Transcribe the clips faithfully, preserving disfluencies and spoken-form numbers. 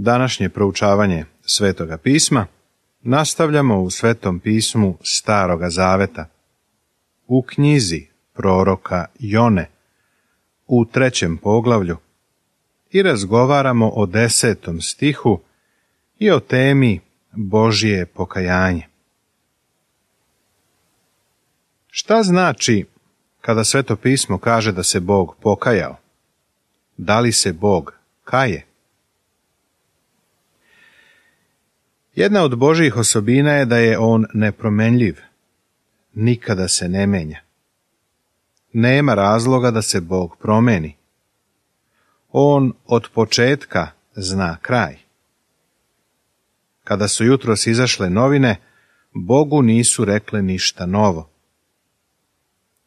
Današnje proučavanje Svetoga pisma nastavljamo u Svetom pismu Staroga zaveta, u knjizi proroka Jone, u trećem poglavlju, i razgovaramo o desetom stihu i o temi Božje pokajanje. Šta znači kada Sveto pismo kaže da se Bog pokajao? Da li se Bog kaje? Jedna od Božjih osobina je da je on nepromenljiv, nikada se ne menja. Nema razloga da se Bog promeni. On od početka zna kraj. Kada su jutros izašle novine, Bogu nisu rekle ništa novo.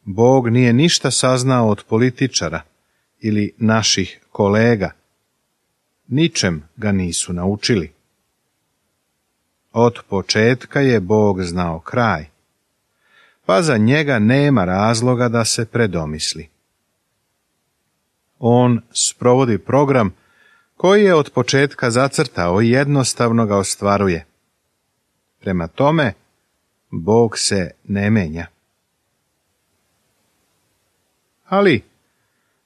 Bog nije ništa saznao od političara ili naših kolega. Ničem ga nisu naučili. Od početka je Bog znao kraj, pa za njega nema razloga da se predomisli. On sprovodi program koji je od početka zacrtao i jednostavno ga ostvaruje. Prema tome, Bog se ne menja. Ali,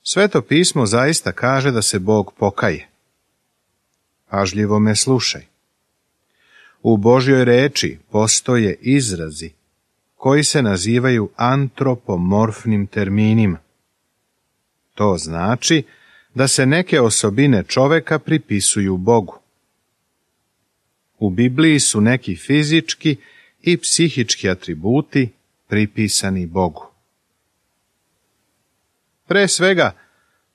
Sveto pismo zaista kaže da se Bog pokaje. Pažljivo me slušaj. U Božjoj reči postoje izrazi koji se nazivaju antropomorfnim terminima. To znači da se neke osobine čoveka pripisuju Bogu. U Bibliji su neki fizički i psihički atributi pripisani Bogu. Pre svega,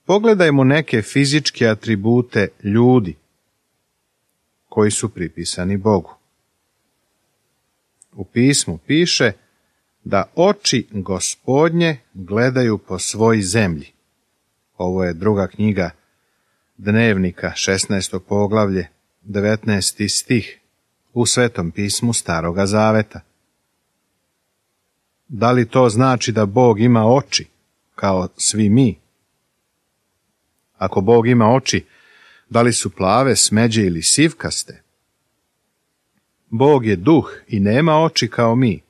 pogledajmo neke fizičke atribute ljudi koji su pripisani Bogu. U pismu piše da oči Gospodnje gledaju po svoj zemlji. Ovo je druga knjiga Dnevnika, šesnaesto poglavlje, devetnaesti stih u Svetom pismu Staroga zaveta. Da li to znači da Bog ima oči, kao svi mi? Ako Bog ima oči, da li su plave, smeđe ili sivkaste? Bog je duh i nema oči kao mi.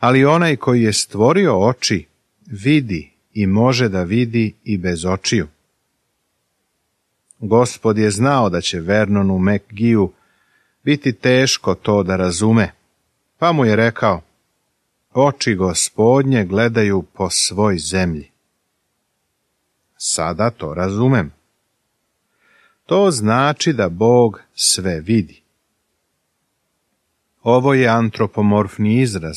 Ali onaj koji je stvorio oči, vidi i može da vidi i bez očiju. Gospod je znao da će Vernonu Mekgiju biti teško to da razume, pa mu je rekao: oči Gospodnje gledaju po svoj zemlji. Sada to razumem. To znači da Bog sve vidi. Ovo je antropomorfni izraz.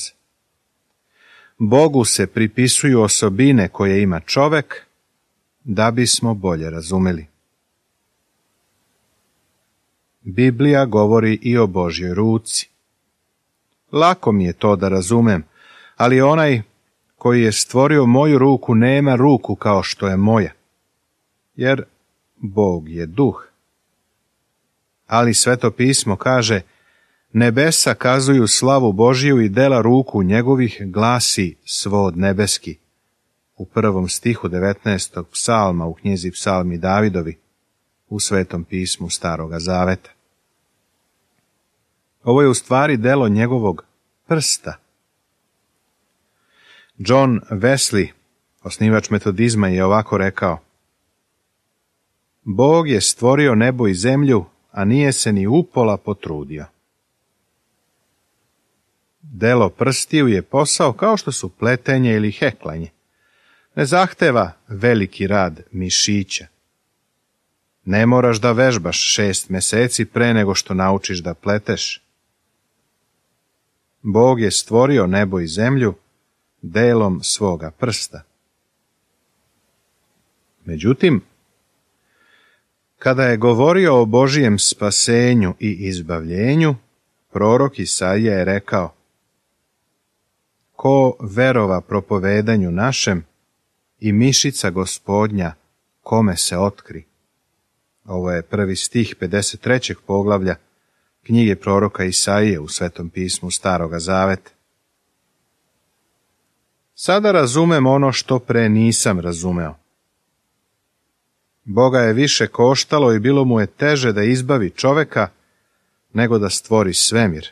Bogu se pripisuju osobine koje ima čovek, da bismo bolje razumeli. Biblija govori i o Božjoj ruci. Lako mi je to da razumem, ali onaj koji je stvorio moju ruku nema ruku kao što je moja, jer Bog je duh. Ali Sveto pismo kaže: nebesa kazuju slavu Božiju i dela ruku njegovih glasi svod nebeski. U prvom stihu devetnaestog psalma u knjizi Psalmi Davidovi, u Svetom pismu Staroga zaveta. Ovo je u stvari delo njegovog prsta. John Wesley, osnivač metodizma, je ovako rekao: Bog je stvorio nebo i zemlju, a nije se ni upola potrudio. Delo prstiju je posao kao što su pletenje ili heklanje. Ne zahteva veliki rad mišića. Ne moraš da vežbaš šest meseci pre nego što naučiš da pleteš. Bog je stvorio nebo i zemlju delom svoga prsta. Međutim, kada je govorio o Božijem spasenju i izbavljenju, prorok Isaija je rekao: ko verova propovedanju našem i mišica Gospodnja kome se otkri. Ovo je prvi stih pedeset trećeg poglavlja knjige proroka Isaije u Svetom pismu Staroga zaveta. Sada razumem ono što pre nisam razumeo. Boga je više koštalo i bilo mu je teže da izbavi čoveka nego da stvori svemir.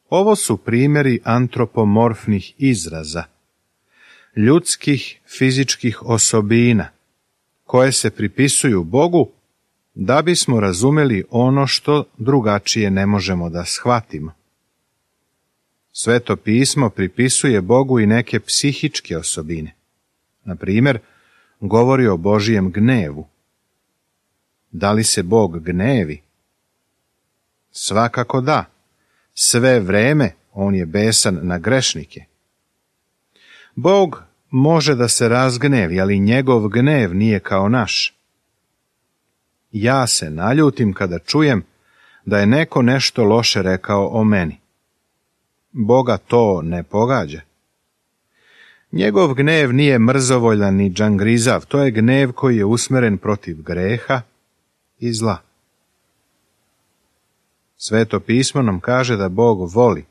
Ovo su primjeri antropomorfnih izraza, ljudskih fizičkih osobina, koje se pripisuju Bogu da bismo razumeli ono što drugačije ne možemo da shvatimo. Sveto pismo pripisuje Bogu i neke psihičke osobine. Na primjer, govori o Božijem gnevu. Da li se Bog gnevi? Svakako da. Sve vreme on je besan na grešnike. Bog može da se razgnevi, ali njegov gnev nije kao naš. Ja se naljutim kada čujem da je neko nešto loše rekao o meni. Boga to ne pogađa. Njegov gnev nije mrzovoljan ni džangrizav, to je gnev koji je usmeren protiv greha i zla. Sveto pismo nam kaže da Bog voli,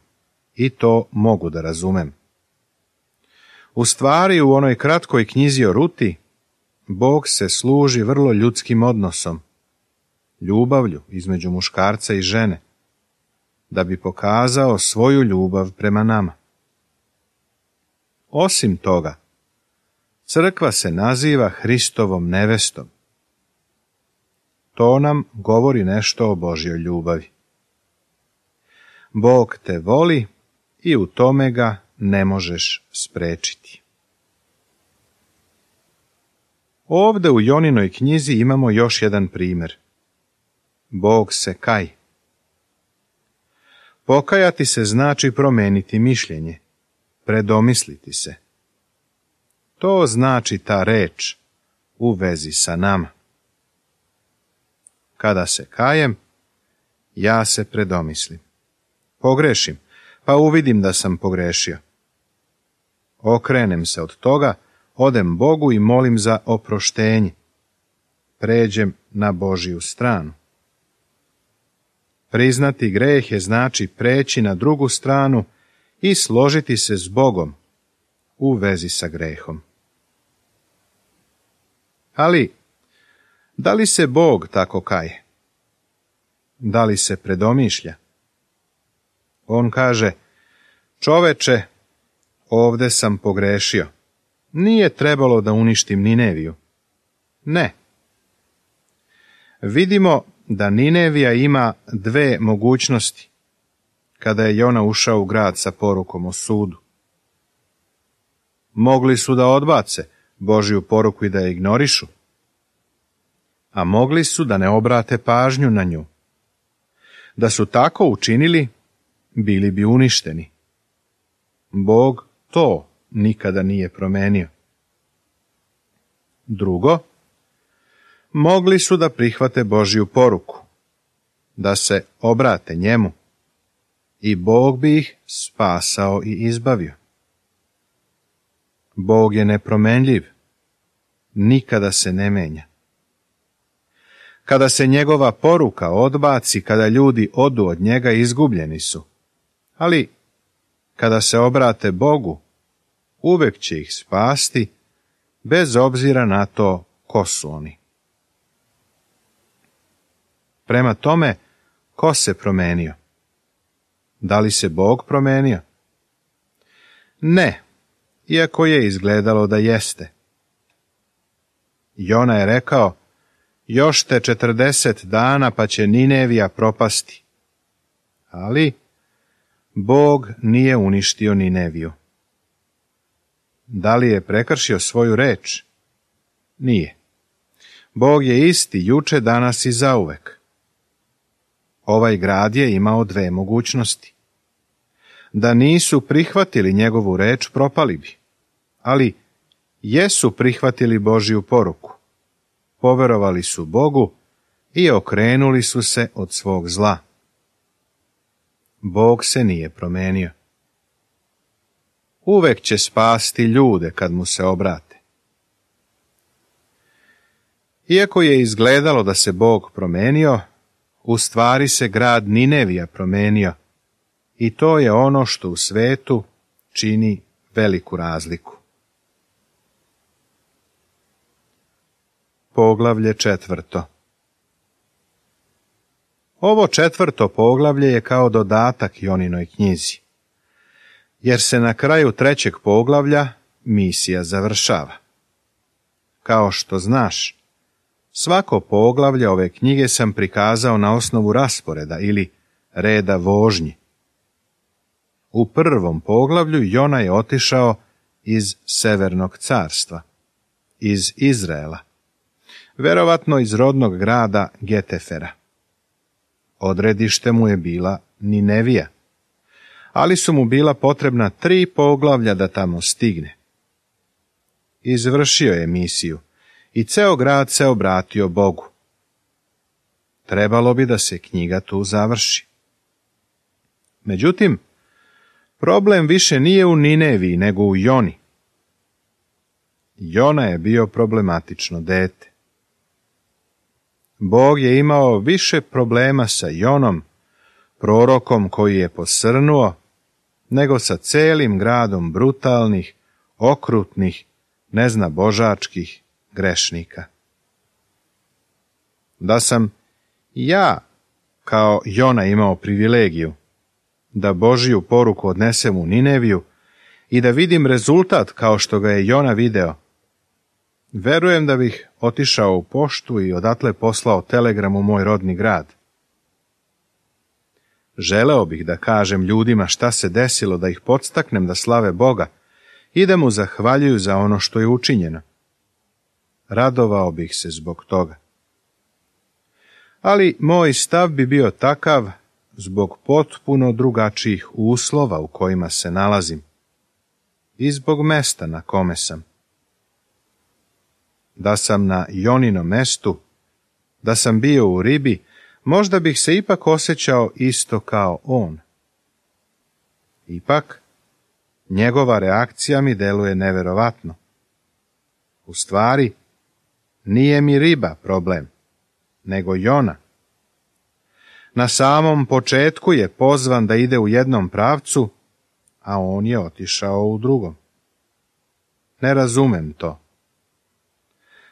i to mogu da razumem. U stvari, u onoj kratkoj knjizi o Ruti, Bog se služi vrlo ljudskim odnosom, ljubavlju između muškarca i žene, da bi pokazao svoju ljubav prema nama. Osim toga, crkva se naziva Hristovom nevestom. To nam govori nešto o Božjoj ljubavi. Bog te voli i u tome ga ne možeš sprečiti. Ovde u Joninoj knjizi imamo još jedan primjer. Bog se kaj. Pokajati se znači promeniti mišljenje, predomisliti se. To znači ta reč u vezi sa nama. Kada se kajem, ja se predomislim. Pogrešim, pa uvidim da sam pogrešio. Okrenem se od toga, odem Bogu i molim za oproštenje. Pređem na Božiju stranu. Priznati greh je znači preći na drugu stranu i složiti se s Bogom u vezi sa grehom. Ali, da li se Bog tako kaje? Da li se predomišlja? On kaže, čoveče, ovde sam pogrešio. Nije trebalo da uništim Nineviju. Ne. Vidimo da Ninevija ima dve mogućnosti kada je Jona ušao u grad sa porukom o sudu. Mogli su da odbace Božju poruku i da je ignorišu, a mogli su da ne obrate pažnju na nju. Da su tako učinili, bili bi uništeni. Bog to nikada nije promenio. Drugo, mogli su da prihvate Božju poruku, da se obrate njemu, i Bog bi ih spasao i izbavio. Bog je nepromenljiv, nikada se ne menja. Kada se njegova poruka odbaci, kada ljudi odu od njega, izgubljeni su. Ali kada se obrate Bogu, uvek će ih spasti, bez obzira na to ko su oni. Prema tome, ko se promenio? Da li se Bog promenio? Ne, iako je izgledalo da jeste. Jona je rekao, još te četrdeset dana pa će Ninevija propasti. Ali Bog nije uništio Nineviju. Da li je prekršio svoju reč? Nije. Bog je isti juče, danas i zauvek. Ovaj grad je imao dve mogućnosti. Da nisu prihvatili njegovu reč, propali bi. Ali jesu prihvatili Božju poruku. Poverovali su Bogu i okrenuli su se od svog zla. Bog se nije promenio. Uvek će spasti ljude kad mu se obrate. Iako je izgledalo da se Bog promenio, u stvari se grad Ninevija promenio, i to je ono što u svetu čini veliku razliku. Poglavlje četvrto. Ovo četvrto poglavlje je kao dodatak Joninoj knjizi, jer se na kraju trećeg poglavlja misija završava. Kao što znaš, svako poglavlje ove knjige sam prikazao na osnovu rasporeda ili reda vožnji. U prvom poglavlju Jona je otišao iz Severnog carstva, iz Izraela, verovatno iz rodnog grada Getefera. Odredište mu je bila Ninevija, ali su mu bila potrebna tri poglavlja da tamo stigne. Izvršio je misiju i ceo grad se obratio Bogu. Trebalo bi da se knjiga tu završi. Međutim, problem više nije u Nineviji nego u Joni. Jona je bio problematično dete. Bog je imao više problema sa Jonom, prorokom koji je posrnuo, nego sa celim gradom brutalnih, okrutnih, neznabožačkih grešnika. Da sam ja, kao Jona, imao privilegiju da Božiju poruku odnesem u Nineviju i da vidim rezultat kao što ga je Jona video, verujem da bih otišao u poštu i odatle poslao telegram u moj rodni grad. Želeo bih da kažem ljudima šta se desilo, da ih podstaknem da slave Boga i da mu zahvaljuju za ono što je učinjeno. Radovao bih se zbog toga. Ali moj stav bi bio takav zbog potpuno drugačijih uslova u kojima se nalazim i zbog mesta na kome sam. Da sam na Joninom mestu, da sam bio u ribi, možda bih se ipak osjećao isto kao on. Ipak, njegova reakcija mi deluje neverovatno. U stvari, nije mi riba problem, nego Jona. Na samom početku je pozvan da ide u jednom pravcu, a on je otišao u drugom. Ne razumem to.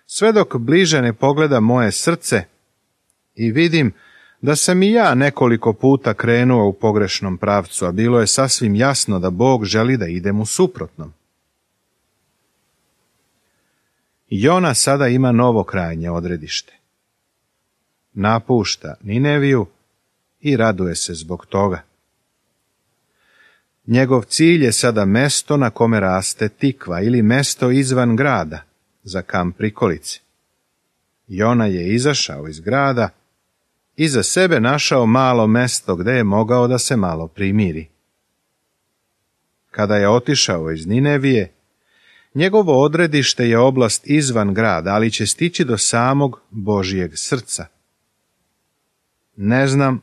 Sve dok bliže ne pogleda moje srce i vidim da sam i ja nekoliko puta krenuo u pogrešnom pravcu, a bilo je sasvim jasno da Bog želi da idem u suprotnom. Jona sada ima novo krajnje odredište. Napušta Nineviju i raduje se zbog toga. Njegov cilj je sada mesto na kome raste tikva ili mesto izvan grada, za kamp prikolice. Jona je izašao iz grada i za sebe našao malo mesto gde je mogao da se malo primiri. Kada je otišao iz Ninevije, njegovo odredište je oblast izvan grada, ali će stići do samog Božijeg srca. Ne znam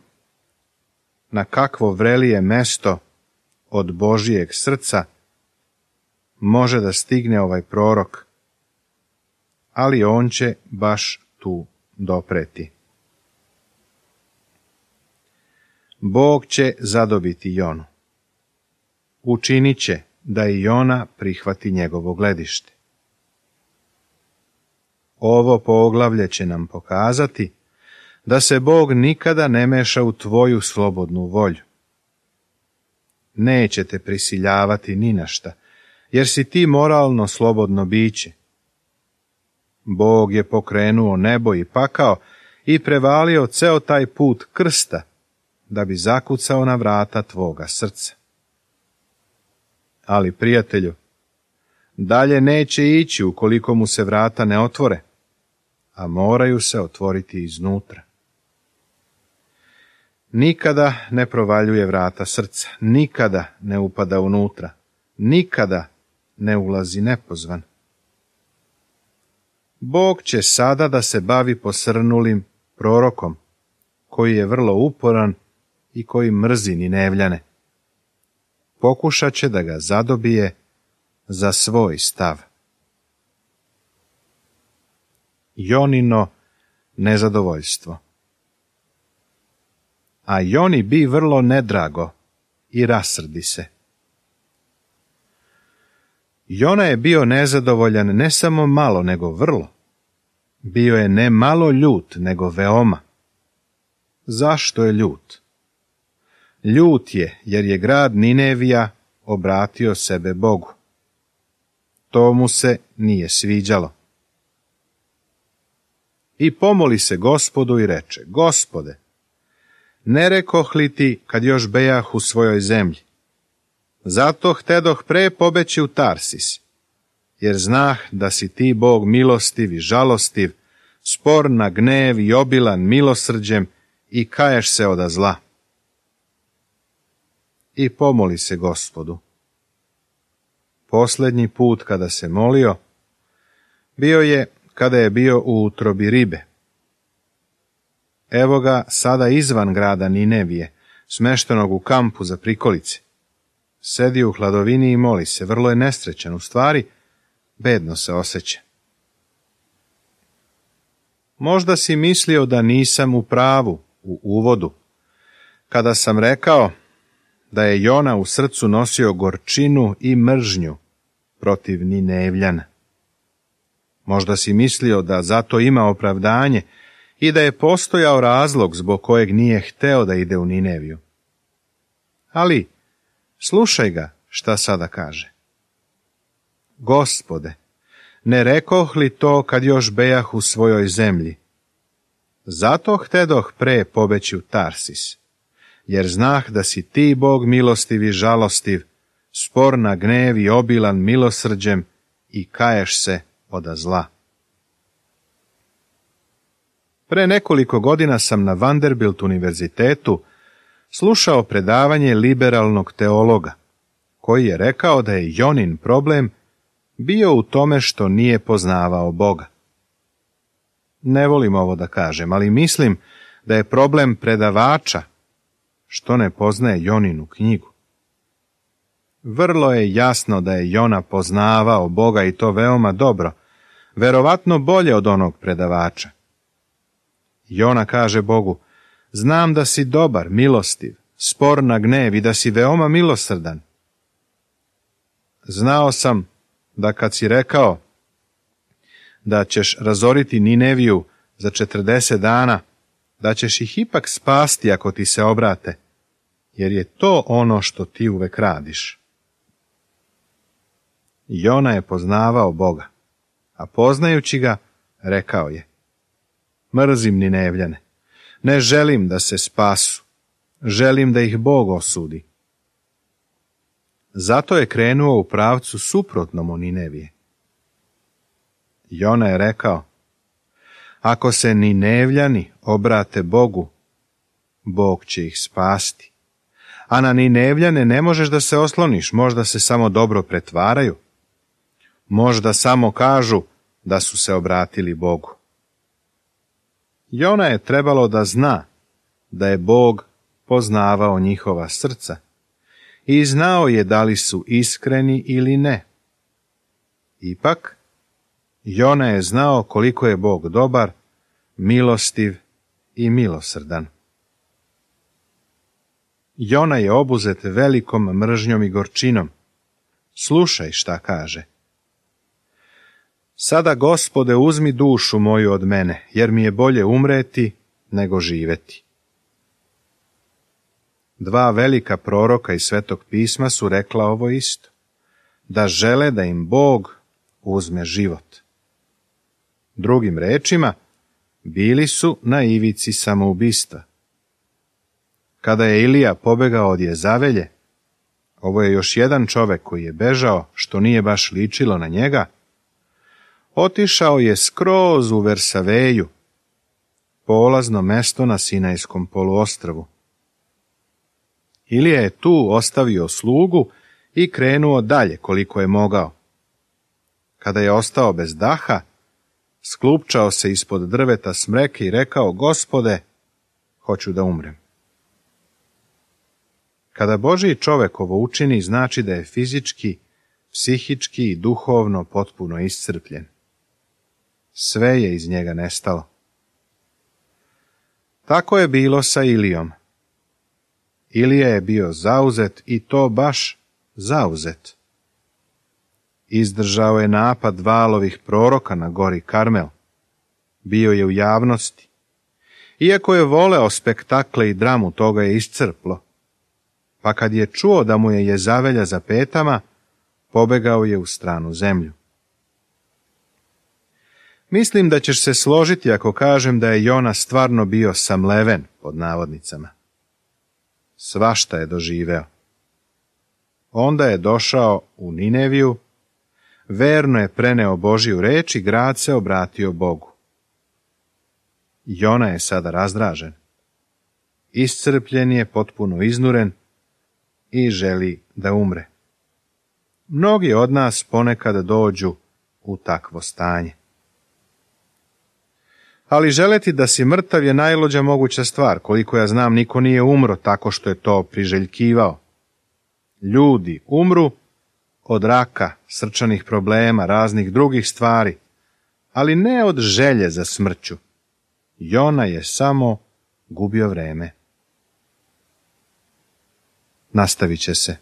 na kakvo vrelije mesto od Božijeg srca može da stigne ovaj prorok, ali on će baš tu dopreti. Bog će zadobiti Jonu. Učinit će da i Jona prihvati njegovo gledište. Ovo poglavlje će nam pokazati da se Bog nikada ne meša u tvoju slobodnu volju. Neće te prisiljavati ni na šta, jer si ti moralno slobodno biće. Bog je pokrenuo nebo i pakao i prevalio ceo taj put krsta, da bi zakucao na vrata tvoga srca. Ali, prijatelju, dalje neće ići ukoliko mu se vrata ne otvore, a moraju se otvoriti iznutra. Nikada ne provaljuje vrata srca, nikada ne upada unutra, nikada ne ulazi nepozvan. Bog će sada da se bavi posrnulim prorokom, koji je vrlo uporan i koji mrzi Ninevljane. Pokušat će da ga zadobije za svoj stav. Jonino nezadovoljstvo. A Joni bi vrlo nedrago i rasrdi se. Jona je bio nezadovoljan ne samo malo, nego vrlo. bio je ne malo ljut, nego veoma. Zašto je ljut? Ljut je jer je grad Ninevija obratio sebe Bogu. To mu se nije sviđalo. I pomoli se Gospodu i reče: Gospode, ne rekoh li ti kad još bejah u svojoj zemlji? Zato htedoh pre pobeći u Tarsis, jer znah da si ti Bog milostiv i žalostiv, spor na gnev i obilan milosrđem i kaješ se oda zla. I pomoli se Gospodu. Posljednji put kada se molio, bio je kada je bio u utrobi ribe. Evo ga sada izvan grada Ninevije, smeštenog u kampu za prikolice. Sedi u hladovini i moli se, vrlo je nesrećan, u stvari, bedno se osjeća. Možda si mislio da nisam u pravu u uvodu, kada sam rekao da je Jona u srcu nosio gorčinu i mržnju protiv Ninevljana. Možda si mislio da zato ima opravdanje i da je postojao razlog zbog kojeg nije hteo da ide u Nineviju. Ali, slušaj ga šta sada kaže. Gospode, ne rekoh li to kad još bejah u svojoj zemlji? Zato htedoh pre pobeći u Tarsis, jer znah da si ti Bog milostiv i žalostiv, spor na gnev i obilan milosrđem i kaješ se oda zla. Pre nekoliko godina sam na Vanderbilt univerzitetu slušao predavanje liberalnog teologa, koji je rekao da je Jonin problem bio u tome što nije poznavao Boga. Ne volim ovo da kažem, ali mislim da je problem predavača što ne poznaje Joninu knjigu. Vrlo je jasno da je Jona poznavao Boga i to veoma dobro, verovatno bolje od onog predavača. Jona kaže Bogu: znam da si dobar, milostiv, spor na gnev i da si veoma milosrdan. Znao sam da kad si rekao da ćeš razoriti Nineviju za četrdeset dana, da ćeš ih ipak spasti ako ti se obrate, jer je to ono što ti uvek radiš. Jona je poznavao Boga, a poznajući ga, rekao je: mrzim Ninevljane, ne želim da se spasu, želim da ih Bog osudi. Zato je krenuo u pravcu suprotnom od Ninevije. Jona je rekao: ako se Ninevljani obrate Bogu, Bog će ih spasti. A na Ninevljane ne možeš da se osloniš, možda se samo dobro pretvaraju. Možda samo kažu da su se obratili Bogu. Jona je trebalo da zna da je Bog poznavao njihova srca i znao je da li su iskreni ili ne. Ipak, Jona je znao koliko je Bog dobar, milostiv i milosrdan. Jona je obuzet velikom mržnjom i gorčinom. Slušaj šta kaže. Sada, Gospode, uzmi dušu moju od mene, jer mi je bolje umreti nego živeti. Dva velika proroka iz Svetog pisma su rekla ovo isto, da žele da im Bog uzme život. Drugim rečima, bili su na ivici samoubistva. Kada je Ilija pobegao od Jezavelje, ovo je još jedan čovek koji je bežao, što nije baš ličilo na njega, otišao je skroz u Versaveju, polazno mesto na Sinajskom poluostrvu. Ilija je tu ostavio slugu i krenuo dalje koliko je mogao. Kada je ostao bez daha, sklupčao se ispod drveta smreke i rekao: Gospode, hoću da umrem. Kada Božji čovek ovo učini, znači da je fizički, psihički i duhovno potpuno iscrpljen. Sve je iz njega nestalo. Tako je bilo sa Ilijom. Ilija je bio zauzet i to baš zauzet. Izdržao je napad valovih proroka na gori Karmel. bio je u javnosti. Iako je voleo spektakle i dramu, toga je iscrplo. Pa kad je čuo da mu je Jezavelja za petama, pobegao je u stranu zemlju. Mislim da ćeš se složiti ako kažem da je Jona stvarno bio samleven, pod navodnicama. Svašta je doživeo. Onda je došao u Nineviju, verno je preneo Božju reč i grad se obratio Bogu. Jona je sada razdražen. Iscrpljen je, potpuno iznuren i želi da umre. Mnogi od nas ponekad dođu u takvo stanje. Ali želeti da si mrtav je najluđa moguća stvar. Koliko ja znam, niko nije umro tako što je to priželjkivao. Ljudi umru od raka, srčanih problema, raznih drugih stvari, ali ne od želje za smrću. Jona je samo gubio vreme. Nastavit će se.